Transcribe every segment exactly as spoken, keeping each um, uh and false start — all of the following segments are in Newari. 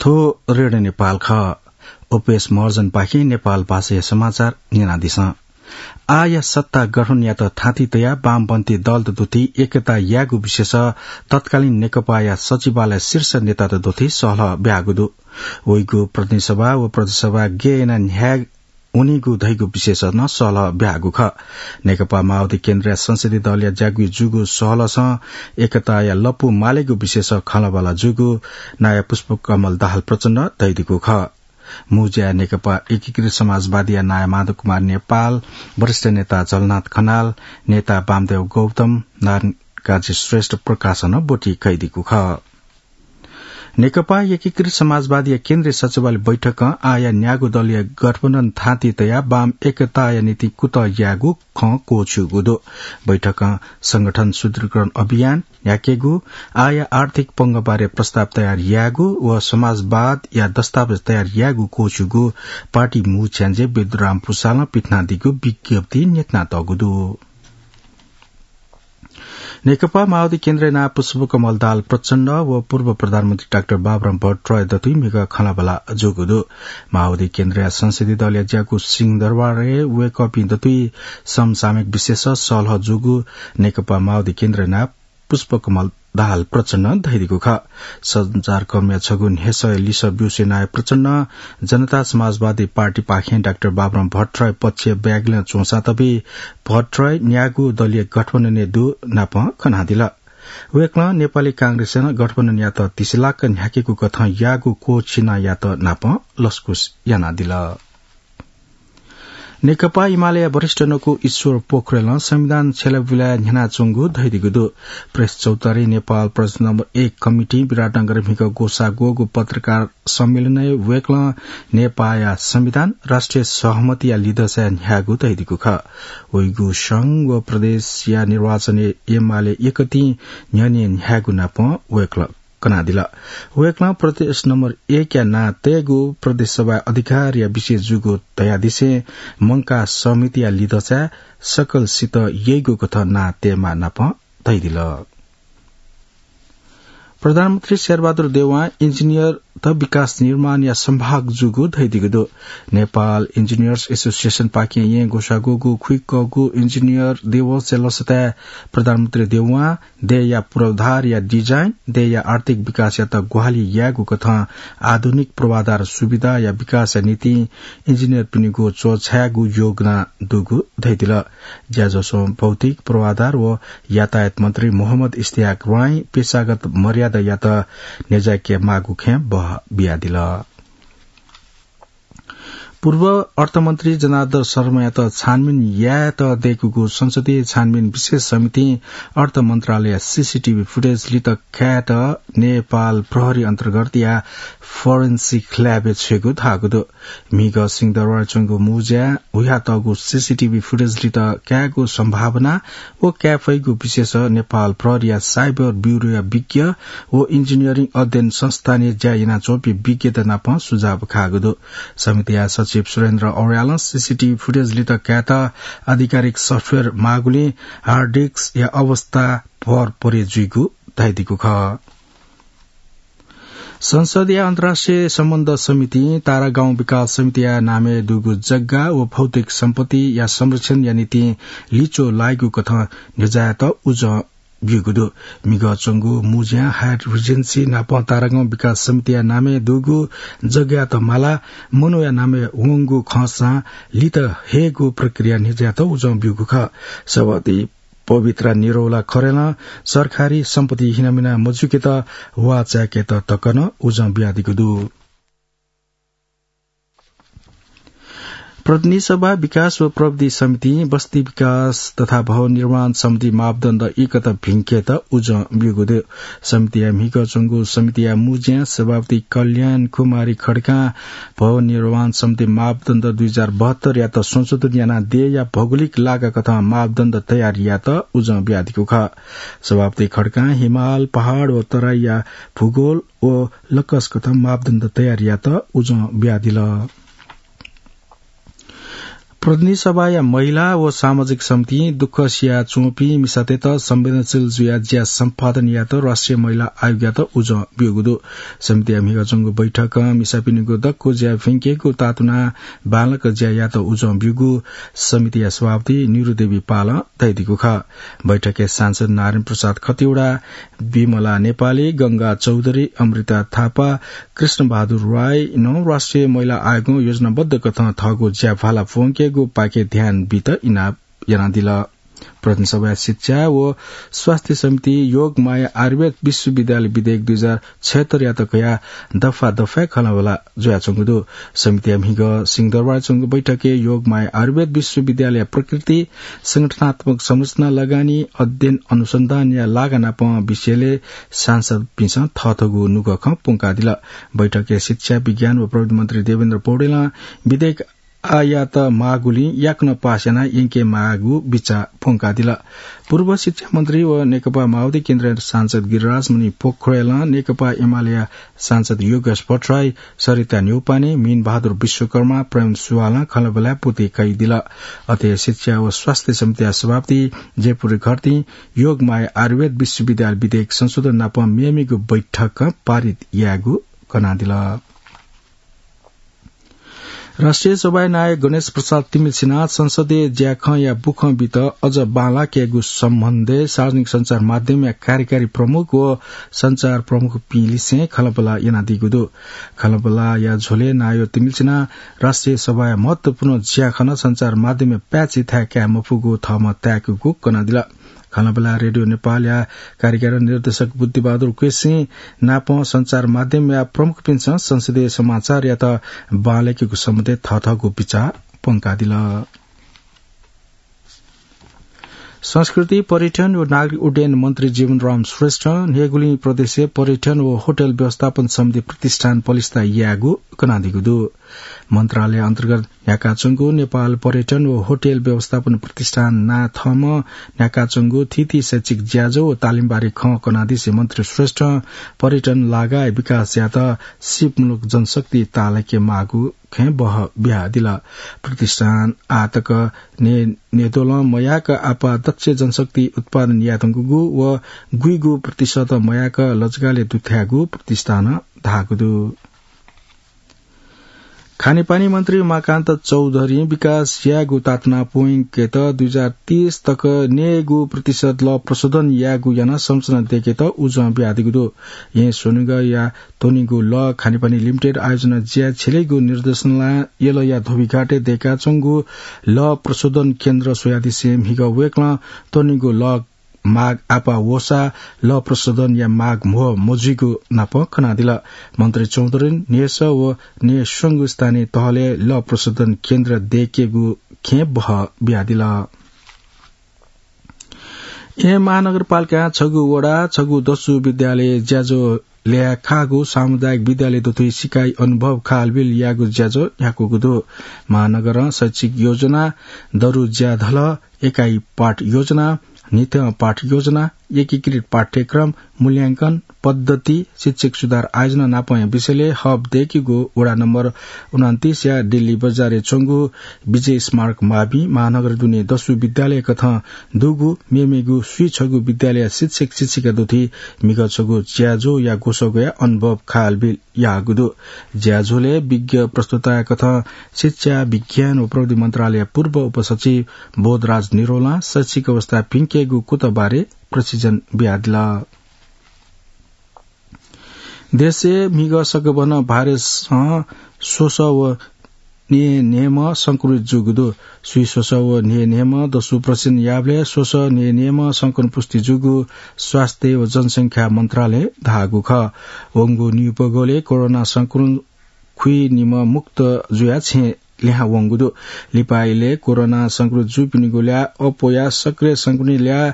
थ्व रेडियो नेपाल खः। ओपेस महर्जनपाखें नेपाल भाषाया समाचार न्यनादिसँ। आःया सत्ता गठनयात थाँति तयाः वामपन्थी दलत दुथि एकता यायेगु विषयस तत्कालीन नेकपाया सचिवालय शीर्ष नेतात दुथि सहलह ब्याःगु दु। वइगु प्रतिनिधि सभा व प्रदेश सभा गय् यानाः न्ह्याये वनीगु धइगु विषयस नं सहलह ब्याःगु खः। नेकपा माओवादी केन्द्रया संसदीय दलया ज्याकुइ जूगु सहलहसं एकताया लँपु मालेगु विषयस खँल्हाबल्हा जूगु नायः पुष्पकमल दाहाल प्रचण्डं धयादीगु खः। मू ज्याय् नेकपा एकीकृत समाजवादीया नायः माधव कुमार नेपाल, वरिष्ठ नेता झलनाथ खनाल, नेता वामदेव गौतम, नारायण काजी श्रेष्ठ प्रकाशनं ब्वति कयादीगु खः। नेकपा एकीकृत समाजवादीया केन्द्रीय सचिवालय बैठकं आःया न्यागू दलीय गठबन्धन थाँति तयाः वाम एकताया निंतिं कुतः यायेगु खँ क्वःछिउगु दु। बैठकं संगठन सुदृढीकरण अभियान न्ह्याकेगु, आःया आर्थिक पंगबारे प्रस्ताव तयार यायेगु व समाजवादया दस्तावेज तयार यायेगु क्वःछिउगु पार्टी मू छ्याञ्जे विद्युराम पुसालं पिथनादीगु विज्ञप्ति न्ह्यथनातःगु दु। नेकपा माओवादी केन्द्रया नायः पुष्पकमल दाहाल प्रचण्ड व पूर्व प्रधानमन्त्री डाक्टर बाबुराम भट्टराई दथुइ म्हिगः खँल्हाबल्हा जूगु दु। माओवादी केन्द्रया संसदीय दलया ज्याकू सिंहदरबारय् वय्कःपिं दथुइ समसामयिक विषयस सहलह जूगु नेकपा माओवादी केन्द्रया नायः पुष्पकमल दाहाल प्रचण्डं धयादीगु खः। सञ्चारकर्मीया छगू न्ह्यसःया लिसः ब्यूसे नायः प्रचण्डं जनता समाजवादी पार्टीपाखें डाक्टर बाबुराम भट्टराई पक्ष ब्यागलं च्वंसां तबि भट्टराई न्यागू दलीय गठबन्धनय् दु नापं खनादिल। वय्कलं नेपाली कांग्रेसं नं गठबन्धनयात तिसिलाक न्ह्याकेगु कथं याःगु क्वःछिनायात नापं लसकुस यानादिल। नेकपा एमालेया वरिष्ठ नकु ईश्वर पोखरेलं संविधान छ्यलाबुलाय् न्ह्यानाच्वंगु धयादीगु दु। प्रेस चौतारी नेपाल प्रदेश नम्बर एक कमिटिं विराटनगरय् म्हिगः ग्वसाः ग्वःगु पत्रकार सम्मेलनय् वय्कलं नेपाःया संविधान राष्ट्रिय सहमतिया लिधंचाय् न्ह्याःगु धयादीगु खः। वइगु संघ व प्रदेशया निर्वाचनय् एमाले यकतिनि न्ह्यःने न्ह्याःगु नापं वय्कलं कनादिल। वय्कलं प्रदेश नम्बर एकया नां तयेगु प्रदेश सभाया अधिकारया विषय जूगु धयादिसें मंकाः सहमतिया लिधंचाय् सकलसित यइगु कथं नां तयेमाः नापं धयादिल। प्रधानमन्त्री शेरबहादुर देउवां इन्जिनियरत विकास निर्माणया संभाग जूगु धयादीगु दु। नेपाल इन्जिनियर्स एसोसिएसनपाखें येँ ग्वसाः ग्वःगु खुइकःगु इन्जिनियर दिवसया लसताय् प्रधानमन्त्री देउवां देय्‌या पूर्वाधारया डिजाइन, देय्‌या आर्थिक विकासयात ग्वाहालि यायेगु कथं आधुनिक पूर्वाधार सुविधाया विकासया निंतिं इन्जिनियरपिनिगु च्वछायेगु योगदान दुगु धयादिल। ज्याझ्वलय् भौतिक पूर्वाधार व यातायात मन्त्री मोहम्मद इस्तियाक रॉंइ पेशागत मर्यादायात न्ह्यज्याके माःगु खँय् बहः बियादिल। पूर्व अर्थमन्त्री जनार्दन शर्मायात छानबिन यायेत दय्‌कूगु संसदीय छानबिन विशेष समितिं अर्थ मन्त्रालयया सीसीटीभी फुटेज लित कायेत नेपाल प्रहरी अन्तर्गतया फोरेन्सिक ल्याबय् छ्वयेगु धाःगु दु। म्हिगः सिंहदरबारय् च्वंगु मू ज्याय् हुयातःगु सीसीटीभी फुटेज लित कायेगु सम्भावना व काये फइगु विषयस नेपाल प्रहरीया साइबर ब्यूरोया विज्ञ व इन्जिनियरिङ अध्ययन संस्थानय् ज्या यानाच्वंपिं विज्ञत नाप सुझाव काःगु दु। समितिया सचिव सुरेन्द्र अर्यालं सीसीटीभी फुटेज लित कायेत आधिकारिक सफ्टवेयर माःगुलिं हार्ड डिस्कया अवस्था भर परे जुइगु धयादीगु खः। संसदया अन्तर्राष्ट्रिय सम्बन्ध समितिं तारागाउँ विकास समितिया नामय् दुगु जग्गा व भौतिक सम्पत्तिया संरक्षणया निंतिं लिच्वः लाइगु कथं न्ह्यज्यायेत उजं ब्यूगु दु। म्हिगः च्वंगु मू ज्याय् हाइट रिजेन्सी नाप तारागाउँ विकास समितिया नामय् दुगु जग्गायात मालाः मनूया नामय् वंगु खंसां लित हयेगु प्रक्रिया न्ह्यज्यायेत उजं ब्यूगु खः। सभापति पवित्रा निरौला खरेलं सरकारी सम्पत्ति हिनामिना मजुकेत वाःचाय्‌केत तक नं उजं बियादीगु दु। प्रतिनिधि सभा विकास व प्रविधि समितिं बस्ती विकास तथा भवन निर्माण सम्बन्धी मापदण्ड इकत भिंकेत उजं ब्यूगु दु। समितिया म्हिगः च्वंगु समितिया मू ज्याय् सभापति कल्याण कुमारी खड्कां भवन निर्माण सम्बन्धी मापदण्ड दुई हजार बहत्तरयात संशोधन यानाः देय्‌या भौगोलिक लागाकथं मापदण्ड तयार यायेत उजं बियादीगु खः। सभापति खड्कां हिमाल, पहाड व तराईया भूगोल व लक्कसकथं मापदण्ड तयार यायेत उजं बियादिल। प्रतिनिधि सभाया महिला व सामाजिक समितिं दुःख सिया च्वंपिं मिसातय्त संवेदनशील जुयाः ज्या सम्पादन यायेत राष्ट्रिय महिला आयोगयात उजं ब्यूगु दु। समितिया म्हिगः च्वंगु बैठकं मिसापिनिगु दक्व ज्या फ्यंकेगु तातुनाः बांलाक ज्या यायेत उजं ब्यूगु समितिया सभापति निरु देवी पालं धयादीगु खः। बैठकय् सांसद नारायण प्रसाद खतिवडा, विमला नेपाली, गंगा चौधरी, अमृता थापा, कृष्ण बहादुर राईनं राष्ट्रिय महिला आयोगं योजनाबद्ध कथं थःगु ज्या भाला फ्वंकेगु पाखे ध्यान बीत इनाप यानादिल। प्रतिनिधि सभाया शिक्षा व स्वास्थ्य समिति योगमाया आयुर्वेद विश्वविद्यालय विधेयक दुई हजार छयत्तरयात कयाः दफा दफाय् खँल्हाबल्हा जुयाच्वंगु दु। समितिया म्हिगः सिंहदरबारय् च्वंगु बैठकय् योगमाया आयुर्वेद विश्वविद्यालय प्रकृति, संगठनात्मक संरचना, लगानी, अध्ययन अनुसन्धानया लागा नापं विषयलय् सांसदपिन्सं थःथःगु नुगः खँ प्वंकादिल। बैठकय् शिक्षा, विज्ञान व प्रविधि मन्त्री देवेन्द्र पौडेलं विधेयक आयात माःगुलिं याकनं पास यानाः यंके माःगु बिचाः प्वंकादिल। पूर्व शिक्षा मन्त्री व नेकपा माओवादी केन्द्रया सांसद गिरिराजमणि पोखरेलं नेकपा एमालेया सांसद योगेश भट्टराई, सरिता न्यौपाने, मीन बहादुर विश्वकर्मा, प्रेम सुवालं खँल्हाबल्हाय् पुति कयादिल। अथे शिक्षा व स्वास्थ्य समितिया सभापति जयपुरी घरतीं योगमाया आयुर्वेद विश्वविद्यालय विधेयक संशोधन नाप मेमेगु बैठकं पारित यायेगु कनादिल। राष्ट्रिय सभाया नायः गणेश प्रसाद तिमिल्सिनां संसदीय ज्याखँया बुखँ बीत अझ बांलाकेगु सम्बन्धय् सार्वजनिक सञ्चार माध्यमया कार्यकारी प्रमुख व सञ्चार प्रमुखपिं लिसें खँल्हाबल्हा यानादीगु दु। खँल्हाबल्हाया झ्वलय् नायः तिमिल्सिनां राष्ट्रिय सभाया महत्वपूर्ण ज्याखँ नं सञ्चार माध्यमय् प्याचि थाय् काये मफुगु थःम्हं ताय्कूगु कनादिल। खँल्हाबल्हाय् रेडियो नेपालया कार्यकारी निर्देशक बुद्धिबहादुर केसीं नापं सञ्चार माध्यमया प्रमुखपिन्सं संसदीय समाचारयात बांलाकेगु सम्बन्धय् थःथःगु बिचाः प्वंकादिल। संस्कृति, पर्यटन व नागरिक उड्डयन मन्त्री जीवनराम श्रेष्ठं न्हय्गुलिं प्रदेशय् पर्यटन व होटल व्यवस्थापन सम्बन्धी प्रतिष्ठान पलिस्था यायेगु कनादीगु दु। मन्त्रालय अन्तर्गत न्ह्याकाच्वंगु नेपाल पर्यटन व होटल व्यवस्थापन प्रतिष्ठान नां थःम्हं न्ह्याकाच्वंगु थीथी शैक्षिक ज्याझ्वः व तालिमबारे खँ कनादिसे मन्त्री श्रेष्ठं पर्यटन लागाय् विकास यायेत सिपमूलक जनशक्ति ताःलाके माःगु खँय् बहः बियादिल। प्रतिष्ठान आःतक न्हय् न्हय्द्वलं मयाक आपाः दक्ष जनशक्ति उत्पादन यायेधुंकूगु व गुइगु प्रतिशत मयाक लजगालय् दुथ्याःगु प्रतिष्ठानं धाःगु दु। खानेपानी मन्त्री उमाकान्त चौधरीं विकास यायेगु तातुना प्वंकेत दुई हजार तीस तक न्हय्गू प्रतिशत लः प्रशोधन यायेगु यानाः संरचना दय्केत उजं बियादीगु दु। येँ स्वनिगःया त्वनीगु लः खानेपानी लिमिटेड आयोजना ज्या छ्यलेगु निर्देशनालयया धोबीघाटय् दय्काच्वंगु लः प्रशोधन केन्द्र स्वयादिसें म्हिगः वय्कलं त्वनीगु लः माग आपाः वःसा लः प्रशोधनया माग म्हो मजुइगु नाप कनादिल। मन्त्री चौधरीं न्हय्सः व न्हय्स्वंगू स्थानीय तहलय् लः प्रशोधन केन्द्र दय्केगु खँय् बहः बियादिल। येँ महानगरपालिकां छगू वडा, छगू दसु विद्यालय ज्याझ्वः ल्याय् खाःगु सामुदायिक विद्यालय दथुइ सिकाइ अनुभव खालबिल याःगु ज्याझ्वः न्ह्याकूगु दु। महानगरं शैक्षिक योजना, दरु ज्याधलः, एकाइ पाठ योजना, निथ्यं पाठ योजना, एकीकृत पाठ्यक्रम, मूल्यांकन पद्धति, शिक्षक सुधार आयोजना नापंया विषयलय् हब दय्केगु वडा नम्बर उनन्तीसया दिल्ली बजारय् च्वंगु विजय स्मारक मावि महानगर दुने दसु विद्यालय कथं दुगु मेमेगु स्वीछगू विद्यालयया शिक्षक शिक्षिका दथुइ म्हिगः छगू ज्याझ्वःया ग्वसाः ग्वयाः अनुभव खालबिल याःगु दु। ज्याझ्वलय् विज्ञ प्रस्तुताया कथं शिक्षा, विज्ञान व प्रविधि मन्त्रालय पूर्व उपसचिव बोधराज निरौलां शैक्षिक अवस्था भिंकेगु कुतः बारे प्रशिक्षण बियादिल। देशय् म्हिगः सकभनं भाइरसं स्वसः व न्हय्न्हय्म्ह संक्रमित जूगु दु। स्वीस्वसः व न्हय्न्हय्म्ह दसु परीक्षण याःबलय् स्वसः न्हय्न्हय्म्ह संक्रमण पुष्टि जूगु स्वास्थ्य व जनसंख्या मन्त्रालयं धाःगु खः। वंगु निपगलय् कोरोना संक्रमण खुइनिम्ह मुक्त जुयाः छेँ लिहां वंगु दु। लिपा इलय् कोरोना संक्रमित जूपिनिगु ल्याः अप्वयाः सक्रिय संक्रमित ल्याः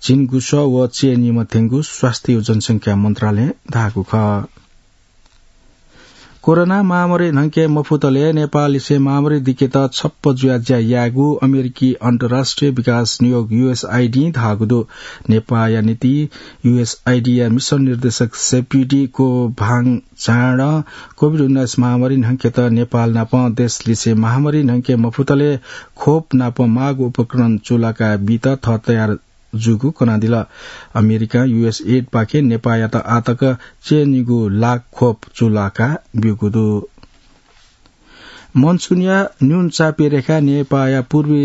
झिंगुसः व चय्निम्ह थ्यंगु स्वास्थ्य व जनसंख्या मन्त्रालयं धाःगु खः। कोरोना महामारी न्हंके मफुतले नेपाललिसे महामारी दिकेत छप्प जुया ज्या यायेगु अमेरिकी अन्तर्राष्ट्रिय विकास नियोग, यूएसआइडी, धाःगु दु। नेपाःया निंतिं यूएसआइडीया मिसन निर्देशक सेप्युटी कोभाङ चाडं कोभिड उन्नाइस महामारी न्हंकेत नेपाल नाप देशलिसे महामारी न्हंके मफुतले खोप नाप माःगु उपकरण चूलाका बीत थः तयार जूगु कनादिल। अमेरिकां यूएसएडपाखें नेपाःयात आतक च्यय्‌निगू लाख खोप चूलाका ब्यूगु दु। मनसुनया न्यून चापीय रेखा नेपाःया पूर्वी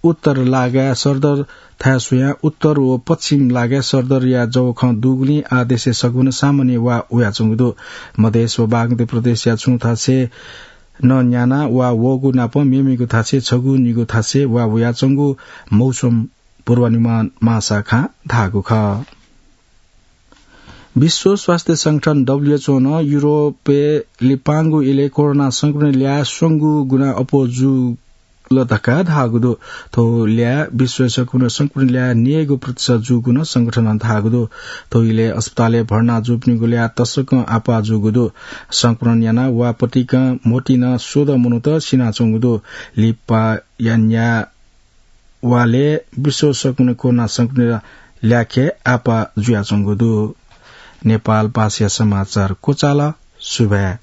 उत्तर लागाय् सरदर थाय् स्वयां उत्तर व पश्चिम लागाय् सरदरया जवखं दुगुलिं आः देशय् सगुन सामान्य वा वयाच्वंगु दु। मधेस व बागमती प्रदेशया छुं थासय् नं न्याना वा वःगु नाप मेमेगु थासय् छगू निगू थासय् वा वयाच्वंगु मौसम पूर्वानुमान महाशाखां धाःगु खः। विश्व स्वास्थ्य संगठन, डब्ल्यूएचओ, नं युरोपय् लिपांगु इलय् कोरोना संक्रमण ल्याः स्वंगू गुना अप्वः जुल धकाः धाःगु दु। थ्व ल्याः विश्वय् सगुन संक्रमण ल्याः न्यय्‌गू प्रतिशत जूगु नं संगठनं धाःगु दु। थ्व इलय् अस्पतालय् भर्ना जूपिनिगु ल्याः तसकं आपाः जूगु दु। संक्रमण यानाः वा पतिकं मोतिनं स्वदँ मनूत सिनाच्वंगु दु। लिपाया न्याः वालय् विश्व सगुन कोरोना संक्रमण ल्याखय् आपाः जुयाच्वंगु दु। नेपाल भाषाया समाचार क्वचाल। सुभाय्।